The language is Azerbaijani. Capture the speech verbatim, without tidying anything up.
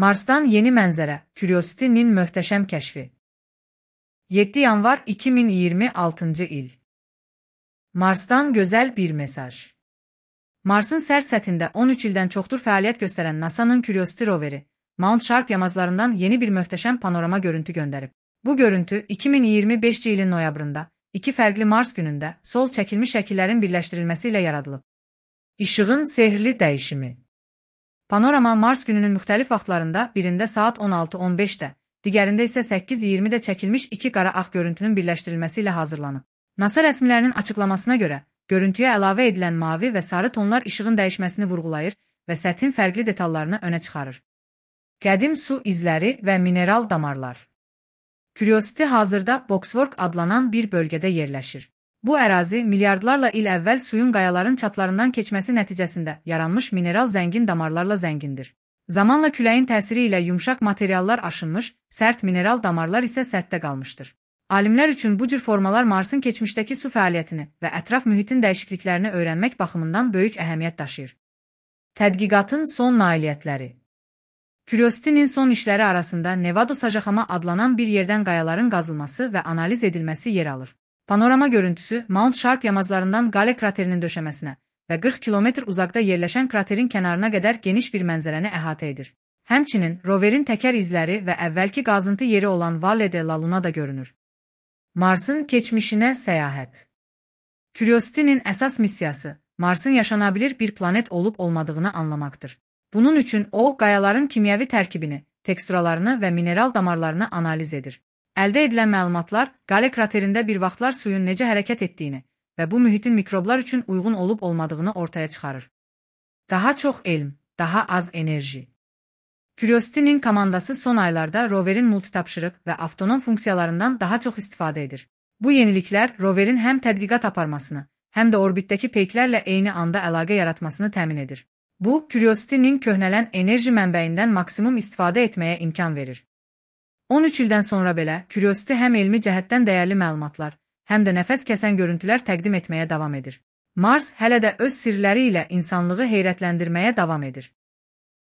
Marsdan yeni mənzərə, Curiosity-nin möhtəşəm kəşfi. yeddi yanvar iki min iyirmi altıncı il. Marsdan gözəl bir mesaj. Marsın sərt səthində on üç ildən çoxdur fəaliyyət göstərən NASA'nın Curiosity roveri, Mount Sharp yamaclarından yeni bir möhtəşəm panorama görüntü göndərib. Bu görüntü iki min iyirmi beşinci ilin noyabrında, iki fərqli Mars günündə sol çəkilmiş şəkillərin birləşdirilməsi ilə yaradılıb. İşığın sehrli dəyişimi. Panorama Mars gününün müxtəlif vaxtlarında birində saat on altı on beşdə, digərində isə səkkiz iyirmidə çəkilmiş iki qara ağ görüntünün birləşdirilməsi ilə hazırlanıb. NASA rəsmilərinin açıqlamasına görə, görüntüyə əlavə edilən mavi və sarı tonlar işığın dəyişməsini vurğulayır və səthin fərqli detallarını önə çıxarır. Qədim su izləri və mineral damarlar. Curiosity hazırda Boxwork adlanan bir bölgədə yerləşir. Bu ərazi milyardlarla il əvvəl suyun qayaların çatlarından keçməsi nəticəsində yaranmış mineral zəngin damarlarla zəngindir. Zamanla küləyin təsiri ilə yumşaq materiallar aşınmış, sərt mineral damarlar isə səthdə qalmışdır. Alimlər üçün bu cür formalar Marsın keçmişdəki su fəaliyyətini və ətraf mühitin dəyişikliklərini öyrənmək baxımından böyük əhəmiyyət daşıyır. Tədqiqatın son nailiyyətləri. Curiosity-nin son işləri arasında Nevada Sajaxama adlanan bir yerdən qayaların qazılması və analiz edilməsi yer alır. Panorama görüntüsü Mount Sharp yamaclarından Gale kraterinin döşəməsinə və qırx kilometr uzaqda yerləşən kraterin kənarına qədər geniş bir mənzərəni əhatə edir. Həmçinin roverin təkər izləri və əvvəlki qazıntı yeri olan Valle de la Luna da görünür. Marsın keçmişinə səyahət. Curiosity-nin əsas missiyası Marsın yaşanabilir bir planet olub-olmadığını anlamaqdır. Bunun üçün o, qayaların kimyəvi tərkibini, teksturalarını və mineral damarlarını analiz edir. Əldə edilən məlumatlar Gale kraterində bir vaxtlar suyun necə hərəkət etdiyini və bu mühitin mikroblar üçün uyğun olub-olmadığını ortaya çıxarır. Daha çox elm, daha az enerji. Curiosity-nin komandası son aylarda roverin multitapşırıq və avtonom funksiyalarından daha çox istifadə edir. Bu yeniliklər roverin həm tədqiqat aparmasını, həm də orbitdəki peyklərlə eyni anda əlaqə yaratmasını təmin edir. Bu, Curiosity-nin köhnələn enerji mənbəyindən maksimum istifadə etməyə imkan verir. on üç ildən sonra belə, Curiosity həm elmi cəhətdən dəyərli məlumatlar, həm də nəfəs kəsən görüntülər təqdim etməyə davam edir. Mars hələ də öz sirləri ilə insanlığı heyrətləndirməyə davam edir.